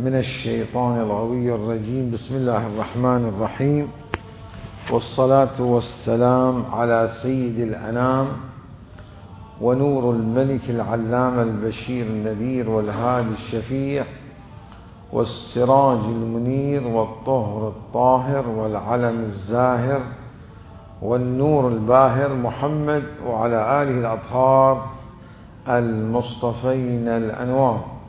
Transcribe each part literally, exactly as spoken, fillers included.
من الشيطان الغوي الرجيم. بسم الله الرحمن الرحيم، والصلاة والسلام على سيد الأنام ونور الملك العلام البشير النذير والهادي الشفيع والسراج المنير والطهر الطاهر والعلم الزاهر والنور الباهر محمد وعلى آله الأطهار المصطفين الأنوار.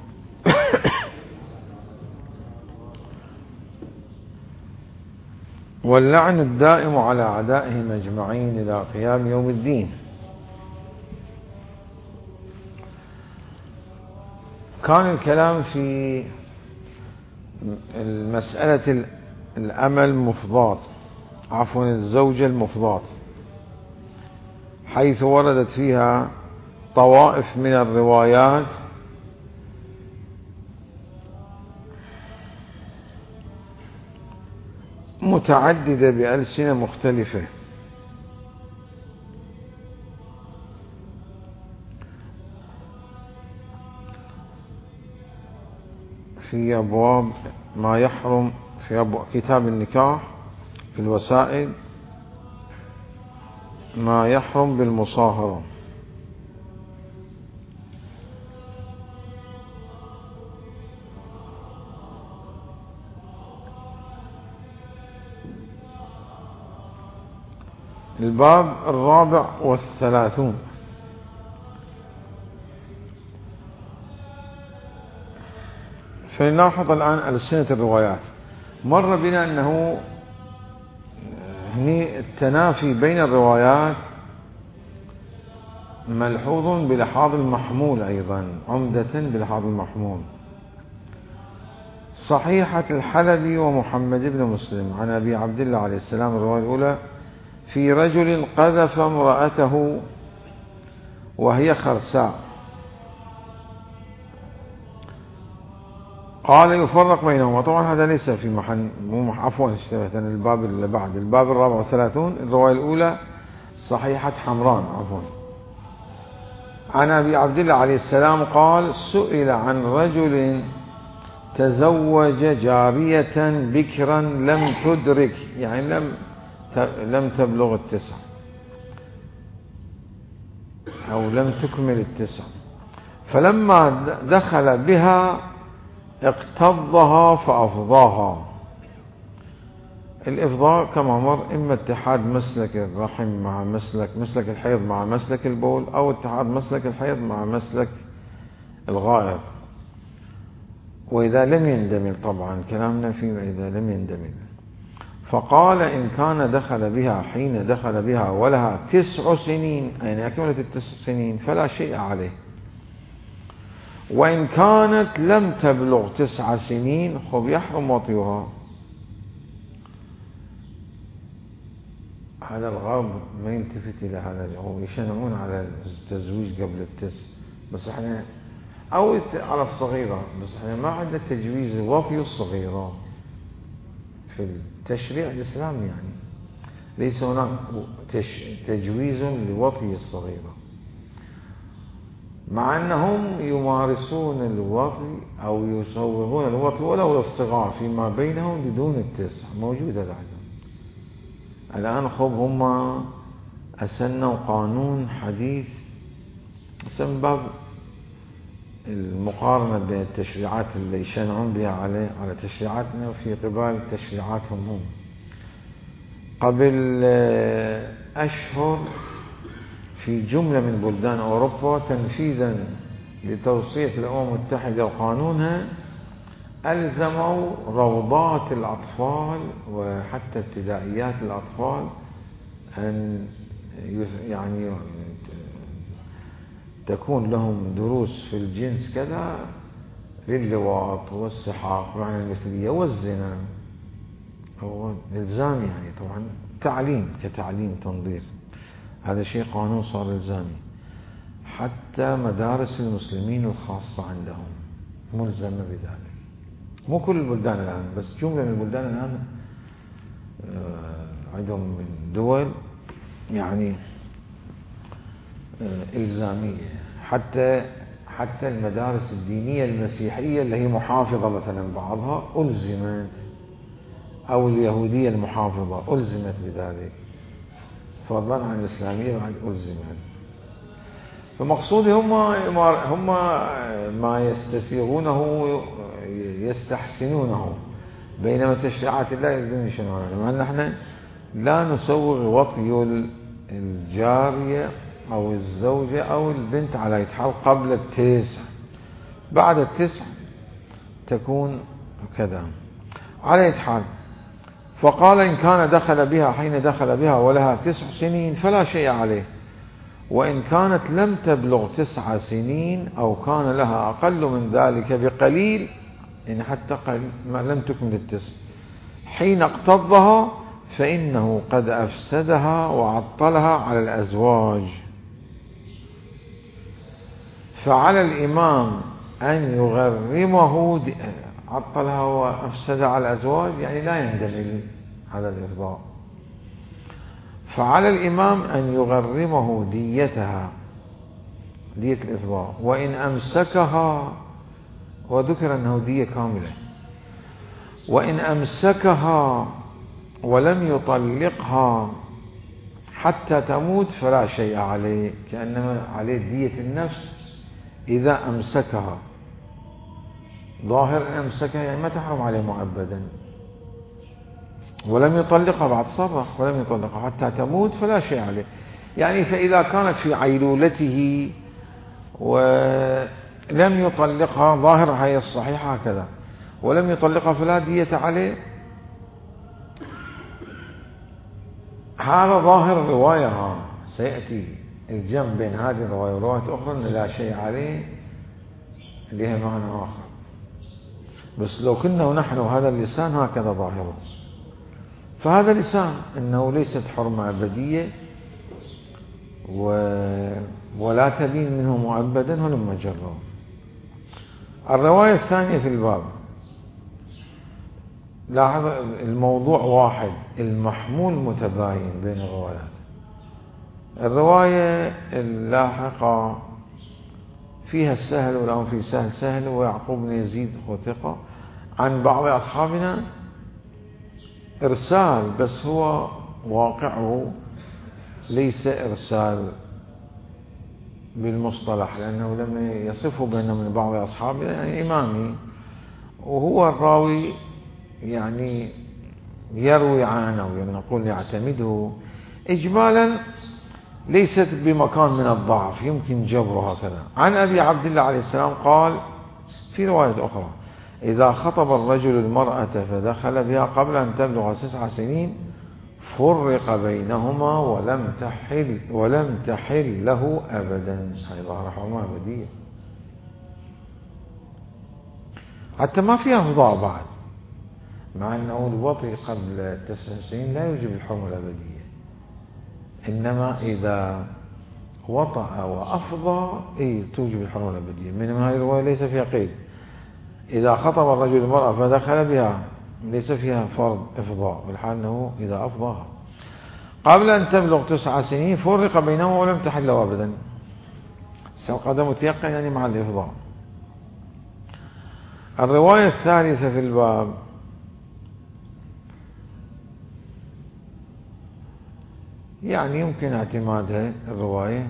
واللعن الدائم على أعدائهم أجمعين إلى قيام يوم الدين. كان الكلام في المسألة الأمة المفضاة، عفوا الزوجة المفضاة، حيث وردت فيها طوائف من الروايات متعددة بألسنة مختلفة، في أبواب ما يحرم، في أبواب كتاب النكاح، في الوسائل ما يحرم بالمصاهرة، الباب الرابع والثلاثون. فلنلاحظ الآن ألسنة الروايات. مر بنا أنه هني التنافي بين الروايات ملحوظ بلحاظ المحمول، أيضا عمدة بلحاظ المحمول. صحيحة الحلبي ومحمد بن مسلم عن أبي عبد الله عليه السلام، الرواية الأولى: في رجل قذف امرأته وهي خرساء، قال يفرق بينهما. طبعا هذا ليس في محل، مو عفوا اشتبهت الباب اللي بعد، الباب الرابع والثلاثون، الرواية الأولى صحيحة حمران عفوا، عن أبي عبد الله عليه السلام قال: سئل عن رجل تزوج جارية بكرا لم تدرك، يعني لم لم تبلغ التسع أو لم تكمل التسع، فلما دخل بها اقتضها فأفضاها. الإفضاء كما مر إما اتحاد مسلك الرحم مع مسلك مسلك الحيض مع مسلك البول، أو اتحاد مسلك الحيض مع مسلك الغائط، وإذا لم يندمل، طبعا كلامنا فيه إذا لم يندمل. فقال: إن كان دخل بها حين دخل بها ولها تسع سنين، يعني أكملت التسع سنين، فلا شيء عليه. وإن كانت لم تبلغ تسع سنين خب يحرم وطيها. هذا الغرب ما يلتفت إلى هذا، هو يشنعون على التزويج قبل التسع، بس احنا أو على الصغيرة، بس احنا ما عندنا تجويز وطي الصغيرة في التشريع الإسلامي، يعني ليس هناك تجويز لوطي الصغيرة، مع أنهم يمارسون الوطي أو يصوغون الوطي ولو للصغار فيما بينهم بدون التسع، موجودة الآن. الآن خب هم أسنوا قانون حديث اسم باب المقارنة بين التشريعات اللي يشنعون بها عليه على تشريعاتنا وفي قبال تشريعاتهم هم. قبل أشهر في جملة من بلدان أوروبا تنفيذا لتوصية الأمم المتحدة وقانونها، ألزموا روضات الأطفال وحتى ابتدائيات الأطفال أن يعني تكون لهم دروس في الجنس كذا، للواط والسحاق معنى المثلية والزنا، هو إلزامي، يعني طبعا تعليم كتعليم تنظير، هذا شيء قانون صار إلزامي. حتى مدارس المسلمين الخاصة عندهم ملزمة بذلك، مو كل البلدان الآن، بس جملة من البلدان الآن عندهم من دول يعني إلزامية. حتى حتى المدارس الدينية المسيحية اللي هي محافظة مثلا بعضها ألزمت، أو اليهودية المحافظة ألزمت بذلك، فضلا عن الإسلامية بعد ألزمت. فمقصودي هم هم ما يستسيغونه يستحسنونه، بينما تشريعات الله يريدون يشنعونها. لأن نحن لا نسوغ وطي الجارية أو الزوجة أو البنت على يتحال قبل التسع، بعد التسع تكون كذا على يتحال. فقال إن كان دخل بها حين دخل بها ولها تسع سنين فلا شيء عليه، وإن كانت لم تبلغ تسع سنين أو كان لها أقل من ذلك بقليل، إن حتى قليل ما لم تكمل التسع حين اقتضها، فإنه قد أفسدها وعطلها على الأزواج. فعلى الإمام أن يغرمه، عطلها وأفسدها على الأزواج يعني لا يندمج على الإفضاء. فعلى الإمام أن يغرمه ديتها، دية الإفضاء، وإن أمسكها، وذكر أنه دية كاملة، وإن أمسكها ولم يطلقها حتى تموت فلا شيء عليه، كأنما عليه دية النفس إذا أمسكها. ظاهر أن أمسكها يعني ما تحرم عليه مؤبدا، ولم يطلقها بعد صرح ولم يطلقها حتى تموت فلا شيء عليه. يعني فإذا كانت في عيلولته ولم يطلقها، ظاهر هي الصحيحة هكذا، ولم يطلقها فلا دية عليه. هذا ظاهر الرواية، سيأتي الجمع بين هذه الرواية ورواية أخرى أن لا شيء عليه لها معنى آخر. بس لو كنا نحن هذا اللسان هكذا ظاهره، فهذا لسان أنه ليست حرمة أبدية ولا تبين منه مؤبدا ولما جره. الرواية الثانية في الباب، لاحظ الموضوع واحد، المحمول متباين بين الروايات. الرواية اللاحقة فيها السهل والأمر في سهل سهل ويعقوب بن يزيد وثقة عن بعض أصحابنا إرسال، بس هو واقعه ليس إرسال بالمصطلح، لأنه لما يصفه بأنه من بعض أصحابه يعني إمامي، وهو الراوي يعني يروي عنه، يعني نقول يعتمده إجمالا، ليست بمكان من الضعف يمكن جبره هكذا. عن أبي عبد الله عليه السلام قال في رواية أخرى: إذا خطب الرجل المرأة فدخل بها قبل أن تبلغ تسع سنين فرق بينهما ولم تحل ولم تحل له أبدا. هذه ظاهرة حرمة أبدية، حتى ما فيها فضاء بعد، مع أنه الوطي قبل تسع سنين لا يوجب الحرمة الأبدية، إنما إذا وطأ وأفضى إيه توجب الحرمة الأبدية. من هذه الرواية ليس فيها قيد. إذا خطب الرجل المرأة فدخل بها ليس فيها فرض إفضاء، بالحال أنه إذا أفضاها قبل أن تبلغ تسع سنين فرق بينهما ولم تحل له أبدا. القدم متيقن يعني مع الإفضاء. الرواية الثالثة في الباب يعني يمكن اعتمادها، الرواية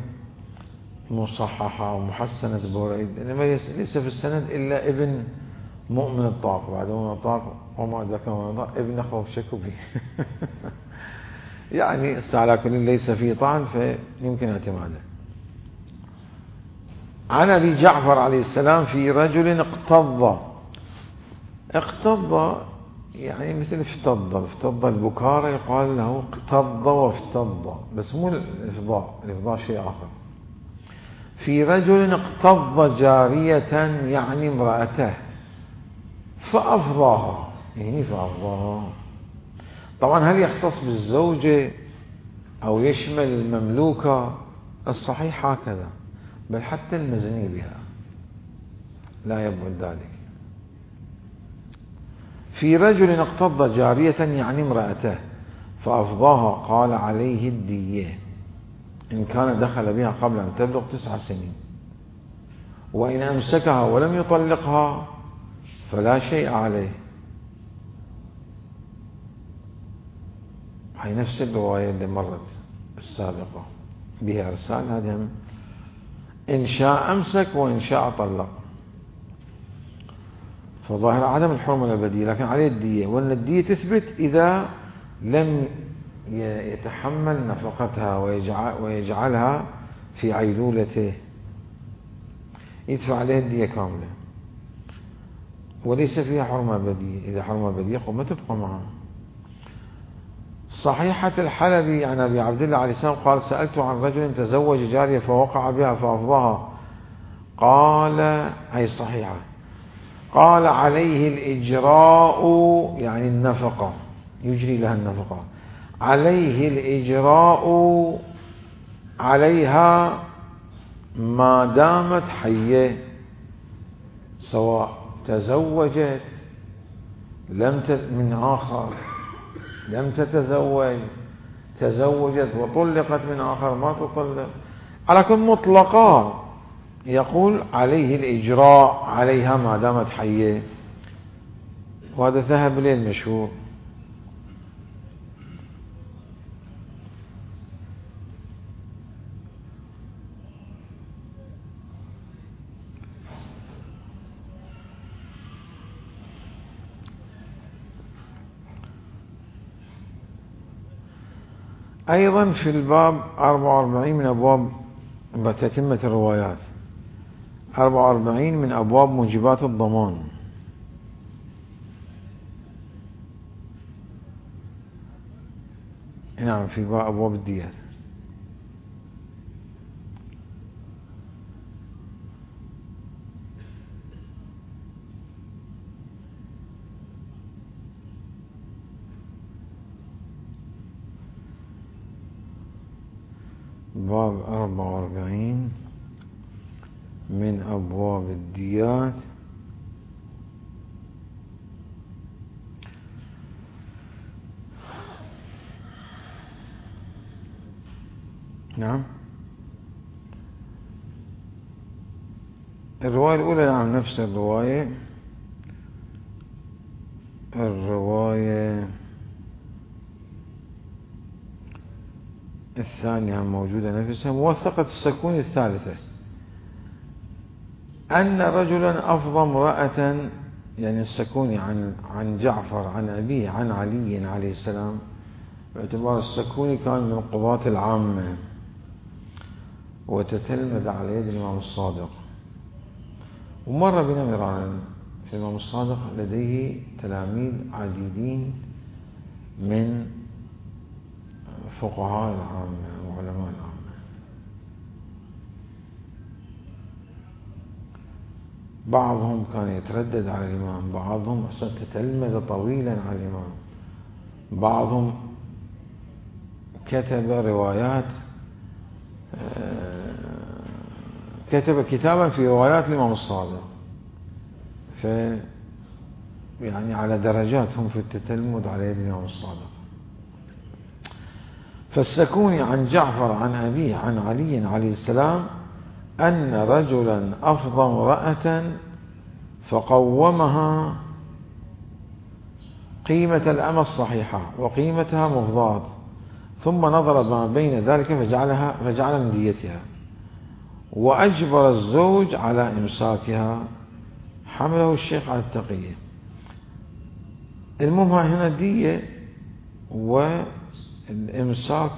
مصححة ومحسنة بوريد، إنما ليس في السند إلا ابن مؤمن الطاق، بعد مؤمن الطاق وما أدرك مؤمن الطاق ابن أخوه شكو به يعني على كل ليس فيه طعن فيمكن اعتماده. عن أبي جعفر عليه السلام في رجل اقتض. اقتض يعني مثل افتض، افتض البكارة يقال له اقتض وافتض، بس مو الإفضاء، الإفضاء شيء آخر. في رجل اقتض جارية يعني امرأته فأفضاها، يعني فأفضاها طبعا هل يختص بالزوجة أو يشمل المملوكة؟ الصحيح هكذا، بل حتى المزني بها لا يبعد ذلك. في رجل اقتض جارية يعني امرأته فأفضاها قال عليه الدية إن كان دخل بها قبل أن تبلغ تسع سنين. وإن أمسكها ولم يطلقها فلا شيء عليه. هي نفس الرواية اللي مرت السابقة بها إرسال، هذا إن شاء أمسك وإن شاء طلق. فظاهر عدم الحرمة الأبدية، لكن عليه الدية، وأن الدية تثبت إذا لم يتحمل نفقتها ويجعل ويجعلها في عيلولته، يدفع عليه الدية كاملة، وليس فيها حرمة أبدية. إذا حرمة أبدية قم تبقى معه. صحيحة الحلبي عن أبي عبد الله عليه السلام قال: سألت عن رجل تزوج جارية فوقع بها فأفضاها، قال، هي صحيحة، قال: عليه الإجراء، يعني النفقة، يجري لها النفقة، عليه الإجراء عليها ما دامت حية، سواء تزوجت لم من آخر، لم تتزوج، تزوجت وطلقت من آخر، ما تطلق، على كل مطلقة يقول عليه الإجراء عليها ما دامت حية. وهذا ذهب إليه المشهور. أيضا في الباب أربعة وأربعين من أبواب تتمة الروايات، أربعة وأربعين من أبواب موجبات الضمان. نعم، في باب أبواب الديات. باب أربعة وأربعين من أبواب الديات. نعم، الرواية الأولى نعم نفس الرواية. الرواية الثانية موجودة نفسها، موثقة السكون الثالثة، أن رجلا أفضى امرأة، يعني السكوني عن عن جعفر عن أبيه عن علي عليه السلام، باعتبار السكوني كان من القضاة العامة وتتلمذ على يد الإمام الصادق. ومر بنا مرارا في الإمام الصادق لديه تلاميذ عديدين من فقهاء العامة وعلماء العامة. بعضهم كان يتردد على الإمام، بعضهم تتلمذ طويلا على الإمام، بعضهم كتب روايات، كتب كتابا في روايات الإمام الصادق، ف يعني على درجات هم في التتلمذ على يد الإمام الصادق. فالسكوني عن جعفر عن أبيه عن علي عليه السلام أن رجلا أفضى امرأة فقومها قيمة الأمة الصحيحة وقيمتها مفضاة، ثم نظر ما بين ذلك فجعلها فجعل من ديتها، وأجبر الزوج على إمساكها، حمله الشيخ على التقية. المهم هنا الدية والإمساك.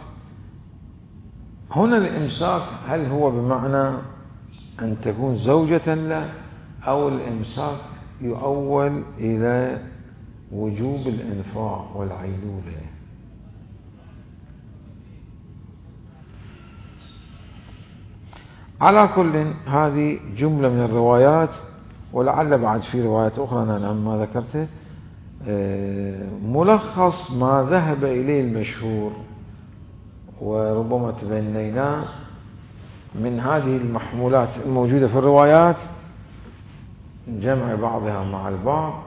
هنا الإمساك هل هو بمعنى أن تكون زوجة له، أو الإمساك يؤول إلى وجوب الإنفاق والعيلولة؟ على كل هذه جملة من الروايات، ولعل بعد في روايات أخرى أنا ما ذكرته، ملخص ما ذهب إليه المشهور، وربما تبنيناه من هذه المحمولات الموجودة في الروايات، جمع بعضها مع البعض،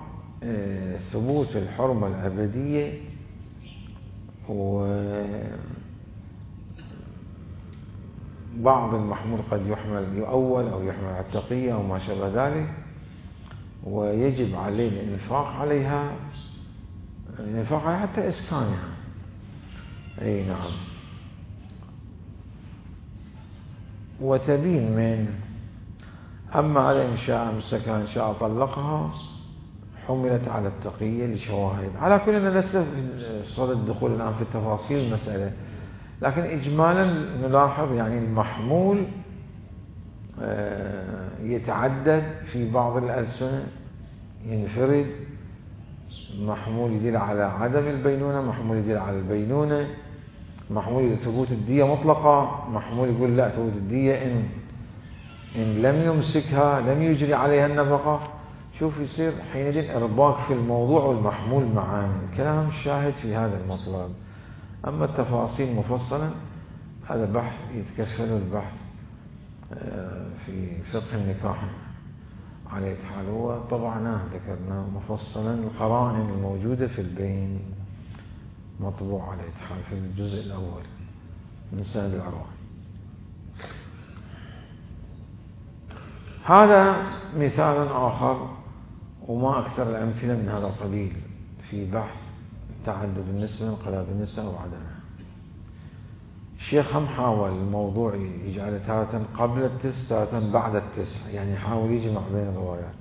ثبوت الحرمة الأبدية، بعض المحمول قد يحمل يؤول أو يحمل على التقية أو ما شابه ذلك، ويجب علينا الإنفاق عليها، الإنفاق عليها حتى إسكانها. أي نعم. وتبين من أما على إن شاء أمسكها إن شاء طلقها حملت على التقية لشواهد. على كل أن لسه في صدد الدخول الآن في تفاصيل المسألة، لكن إجمالا نلاحظ يعني المحمول يتعدد في بعض الألسنة، ينفرد، محمول يدل على عدم البينونة، محمول يدل على البينونة، محمول ثبوت الدية مطلقة، محمول يقول لا ثبوت الدية إن إن لم يمسكها لم يجري عليها النفقة. شوف يصير حينئذ إرباك في الموضوع والمحمول معا. الكلام شاهد في هذا المطلب. أما التفاصيل مفصلا هذا بحث يتكفل البحث في فقه النكاح على حال. هو طبعا ذكرنا مفصلا القرائن الموجودة في البين، مطبوع على حال في الجزء الأول من سند الأرواح. هذا مثال آخر وما أكثر الأمثلة من هذا القبيل في بحث تعدد النسبة انقلاب النساء وعدمها. الشيخ هم حاول الموضوع يجعل تارة قبل التسع تارة بعد التسع، يعني يحاول يجمع بين الروايات.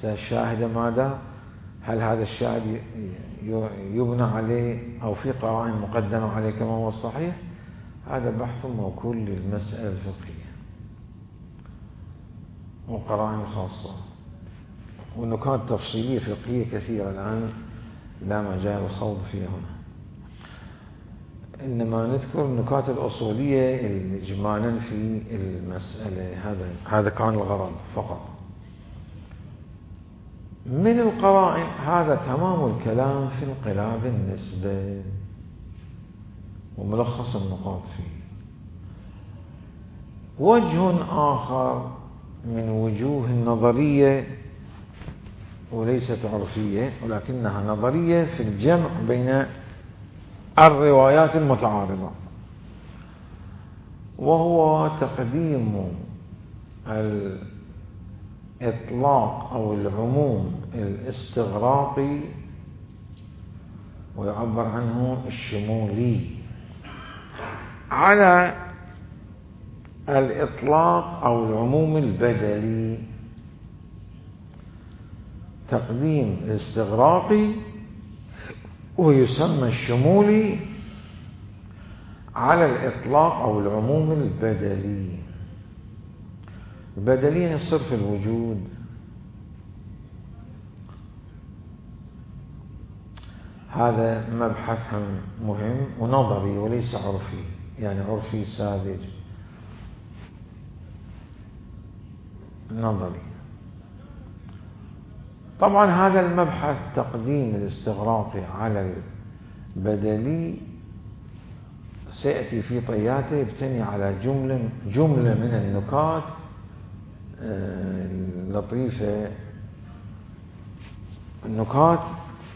الشاهد ماذا؟ هل هذا الشاهد يبنى عليه أو في قرائن مقدمة عليه كما هو الصحيح؟ هذا بحث موكول للمسألة الفقهية وقرائن خاصة ونكات تفصيلية فقهية كثيرة الآن لا مجال الخوض فيها هنا، إنما نذكر النكات الأصولية إجمالا في المسألة. هذا هذا كان الغرض فقط من القرائن. هذا تمام الكلام في انقلاب النسبة وملخص النقاط فيه. وجه آخر من وجوه النظرية وليست عرفية ولكنها نظرية في الجمع بين الروايات المتعارضة، وهو تقديم الإطلاق أو العموم الاستغراقي ويعبر عنه الشمولي على الإطلاق أو العموم البدلي. تقديم الاستغراقي ويسمى الشمولي على الإطلاق أو العموم البدلي. البدلي يعني صرف الوجود. هذا مبحث مهم ونظري وليس عرفي، يعني عرفي ساذج، نظري. طبعا هذا المبحث تقديم الاستغراقي على البدلي سيأتي في طياته، يبتني على جملة جملة من النكات اللطيفة، النكات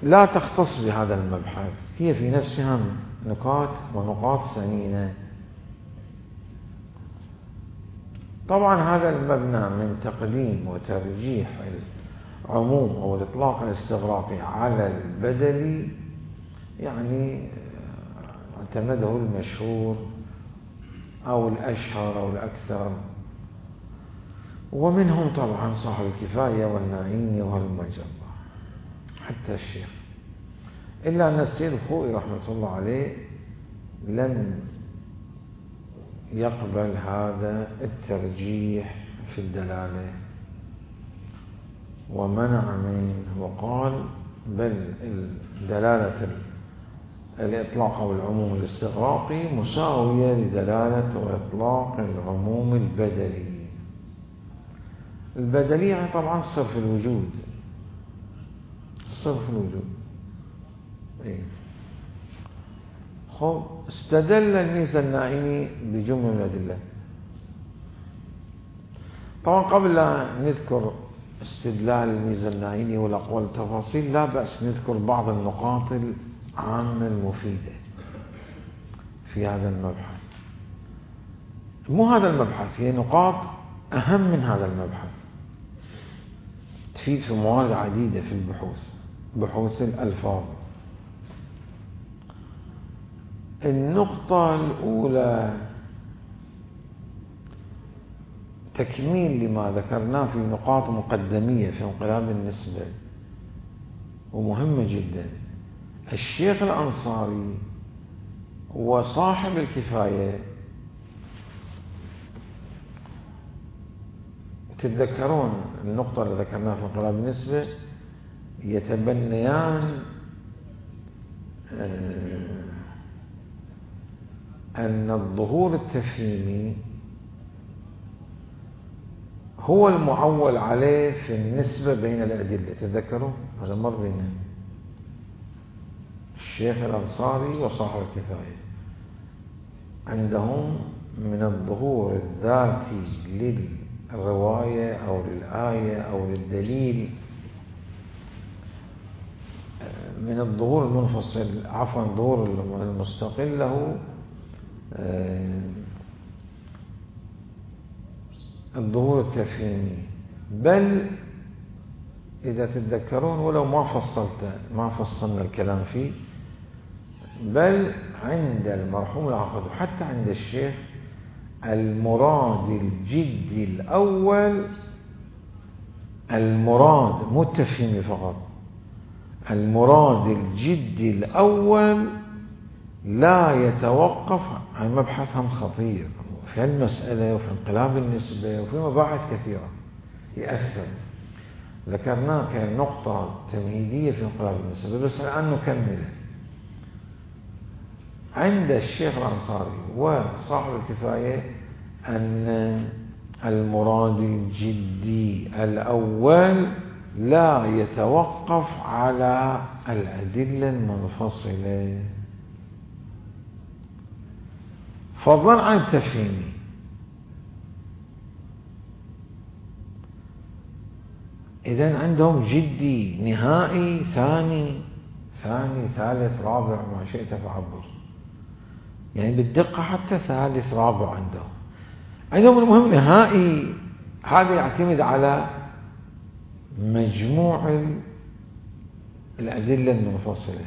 لا تختص بهذا المبحث، هي في نفسها نكات ونقاط ثمينة. طبعا هذا المبنى من تقديم وترجيح العموم أو الإطلاق الاستغراقي على البدلي يعني اعتمده المشهور أو الأشهر أو الأكثر، ومنهم طبعا صاحب الكفاية والنعيمي والمجرة حتى الشيخ، إلا أن السيد الخوئي رحمة الله عليه لم يقبل هذا الترجيح في الدلالة ومنع منه، وقال بل دلالة الإطلاق أو العموم الاستغراقي مساوية لدلالة وإطلاق العموم البدلي. البدلي يعني طبعا صرف الوجود، صرف الوجود. إيه. خب استدل الميزة الناعمي بجملة من الأدلة. طبعا قبل أن نذكر استدلال الميزة الناعمي والأقوال التفاصيل لا بأس نذكر بعض النقاط العامة المفيدة في هذا المبحث. مو هذا المبحث، هي نقاط أهم من هذا المبحث، تفيد في موارد عديدة في البحوث، بحوث الألفاظ. النقطة الأولى تكميل لما ذكرناه في نقاط مقدمية في انقلاب النسبة ومهمة جدا. الشيخ الأنصاري وصاحب الكفاية، تتذكرون النقطة اللي ذكرناها في انقلاب النسبة، يتبنيان أن الظهور التفهيمي هو المعول عليه في النسبة بين الأدلة. تتذكروا هذا مر بينا الشيخ الأنصاري وصاحب الكفاية، عندهم من الظهور الذاتي للرواية أو للآية أو للدليل، من الظهور المنفصل عفوا الظهور المستقل له الظهور التفهيمي. بل إذا تتذكرون ولو ما فصلت ما فصلنا الكلام فيه، بل عند المرحوم العقد وحتى عند الشيخ المراد الجدي الأول، المراد مو التفهيمي فقط، المراد الجدي الأول لا يتوقف عن مبحثهم خطير في المسألة وفي انقلاب النسبة وفي مباحث كثيرة يأثر، ذكرناه كنقطة تمهيدية في انقلاب النسبة، بس الآن نكمله. عند الشيخ الأنصاري وصاحب الكفاية أن المراد الجدي الأول لا يتوقف على الأدلة المنفصلة، فضلا عن التفهيمي. إذن عندهم جدي نهائي ثاني ثاني ثالث رابع ما شئت فعبر، يعني بالدقة حتى ثالث رابع عندهم عندهم المهم نهائي. هذا يعتمد على مجموع الأدلة المنفصلة.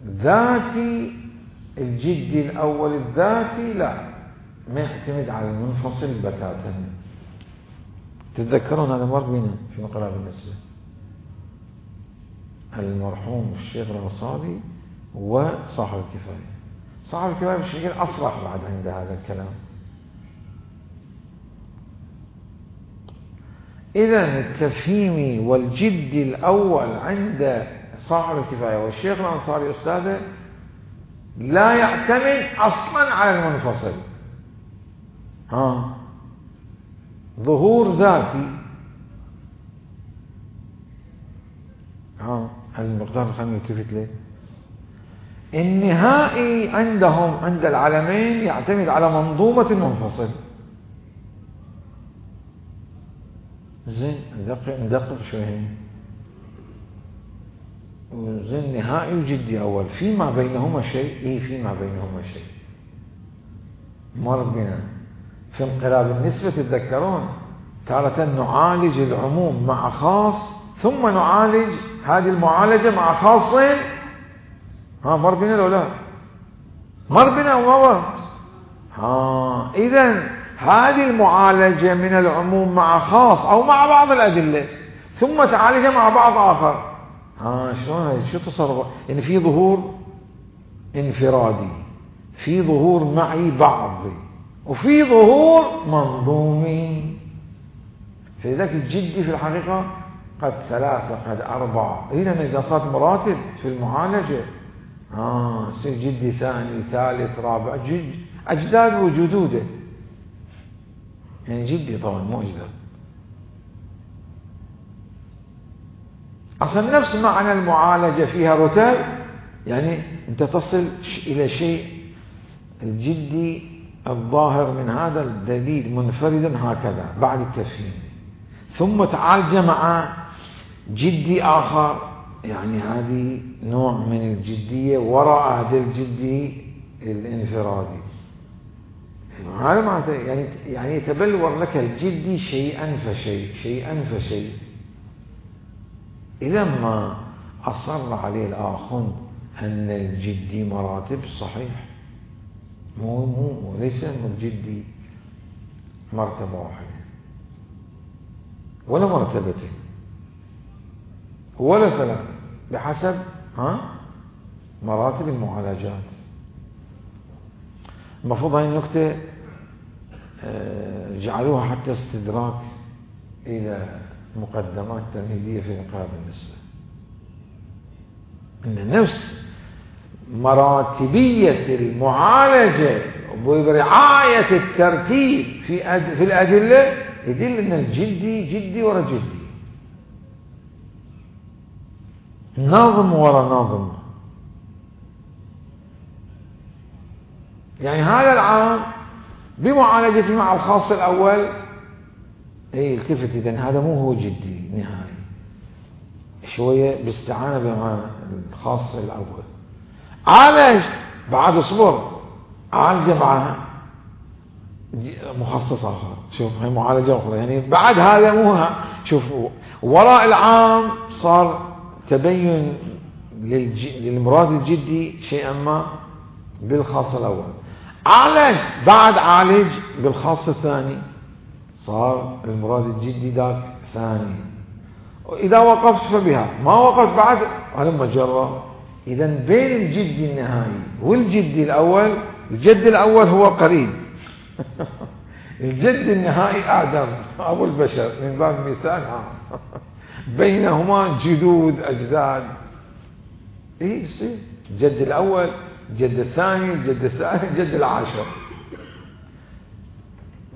ذاتي الجدي الأول الذاتي لا، ما يعتمد على المنفصل بتاتا. تتذكرون هذا مر بنا في انقلاب النسبة، المرحوم الشيخ الأنصاري وصاحب الكفاية. صاحب الكفاية بشكل أصرح بعد عند هذا الكلام. إذن التفهيمي والجدي الأول عند صاحب الكفاية والشيخ الأنصاري أستاذه لا يعتمد أصلا على المنفصل. ها ظهور ذاتي، ها المقدار خلينا نلتفت له. النهائي عندهم عند العالمين يعتمد على منظومة المنفصل. زين ندقق ندقق شوي. زين نهائي وجدي أول، فيما بينهما شيء. إيه فيما بينهما شيء مر بنا في انقلاب النسبة. تتذكرون تارة نعالج العموم مع خاص، ثم نعالج هذه المعالجة مع خاص. ها مر بنا لو لا مر بنا ومر. ها إذن هذه المعالجة من العموم مع خاص أو مع بعض الأدلة، ثم تعالجها مع بعض آخر. ها شلون هذا؟ شو تصرف؟ يعني في ظهور انفرادي، في ظهور معي بعضي، وفي ظهور منظومي. فلذلك الجدي في الحقيقة قد ثلاثة قد أربعة. إذا إذا صارت مراتب في المعالجة، ها يصير جدي ثاني ثالث رابع، جد أجداد وجدوده. يعني جدي طبعا مو أجداد. أصلا نفس معنى المعالجة فيها رتب، يعني أنت تصل إلى شيء الجدي الظاهر من هذا الدليل منفردا هكذا بعد التفهيم، ثم تعالج مع جدي آخر، يعني هذه نوع من الجدية وراء هذا الجدي الانفرادي. هذا معناته يعني يعني يتبلور لك الجدي شيئا فشيء شيئا فشيء. إذا ما أصر عليه الآخر أن الجدي مراتب صحيح، مو مو ليس أن الجدي مرتبة واحدة ولا مرتبتين ولا ثلاث، بحسب ها مراتب المعالجات. المفروض هاي النكتة جعلوها حتى استدراك إلى مقدمات تمهيدية في إنقاذ النسبة، إن نفس مراتبية المعالجة برعاية الترتيب في في الأدلة يدل أن الجدي جدي ورا جدي، نظم ورا نظم. يعني هذا العام بمعالجته مع الخاص الأول اي التفت، إذن هذا مو هو جدي نهائي، شوية باستعانة مع الخاص الأول، عالج بعد اصبر عالج معها مخصص آخر، شوف هي معالجة أخرى، يعني بعد هذا مو شوف وراء العام صار تبين للمراد الجدي شيئا ما بالخاص الأول، عالج بعد عالج بالخاص الثاني صار المراد الجدي ذاك ثاني. إذا وقفت فبها، ما وقفت بعد هلم جرى. إذا بين الجدي النهائي والجدي الأول، الجد الأول هو قريب الجد النهائي آدم أبو البشر من باب المثال، بينهما جدود أجداد. إيه يصير الجد الأول، الجد الثاني، الجد الثالث، الجد العاشر.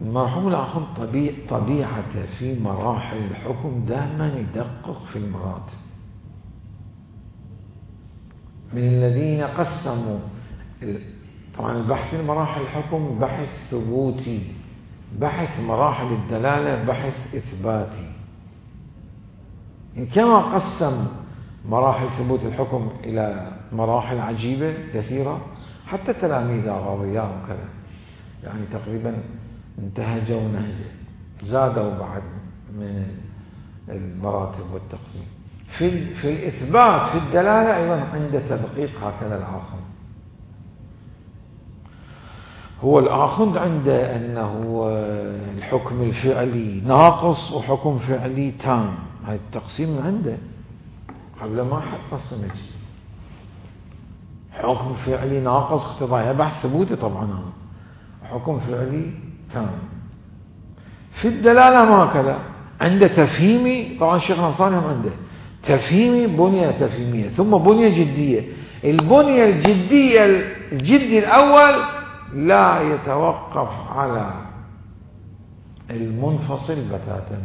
المرحوم الآخر طبيع طبيعته في مراحل الحكم دائما يدقق في المراتب. من الذين قسموا طبعا البحث في مراحل الحكم بحث ثبوتي، بحث مراحل الدلالة بحث إثباتي. كما قسم مراحل ثبوت الحكم إلى مراحل عجيبة كثيرة، حتى تلاميذ الغاضياء وكذا يعني تقريبا انتهجوا نهجه، زادوا بعد من المراتب والتقسيم. في في الإثبات في الدلالة أيضا عند تدقيق هكذا الآخر. هو الآخر عنده أنه الحكم الفعلي ناقص وحكم فعلي تام، هاي التقسيم عنده قبل ما حد قسم حكم فعلي ناقص اقتضائي بحث ثبوتي طبعا، حكم فعلي تام. في الدلالة ما كذا، عنده تفهيمي، طبعا الشيخ النصاني هم عنده تفهيمي بنية تفهيمية ثم بنية جدية. البنية الجدية الجدي الأول لا يتوقف على المنفصل بتاتا،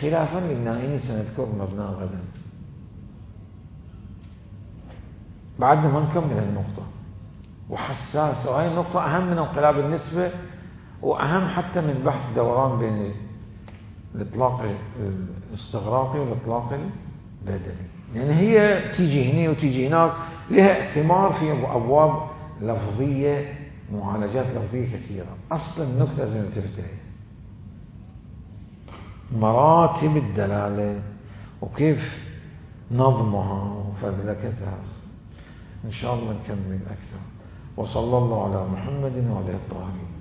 خلافا للنائين سنذكر مبناه غدا. بعدنا ما نكمل النقطة وحساسة، وهي النقطة أهم من انقلاب النسبة، وأهم حتى من بحث دوران بين الإطلاق الاستغراقي والإطلاق البدني، يعني هي تيجي هنا وتيجي هناك، لها اثمار في أبواب لفظية، معالجات لفظية كثيرة. أصل النكتة زي ما تفتح مراتب الدلالة وكيف نظمها وفذلكتها، إن شاء الله نكمل أكثر. وصلى الله على محمد وعلى الطاهرين.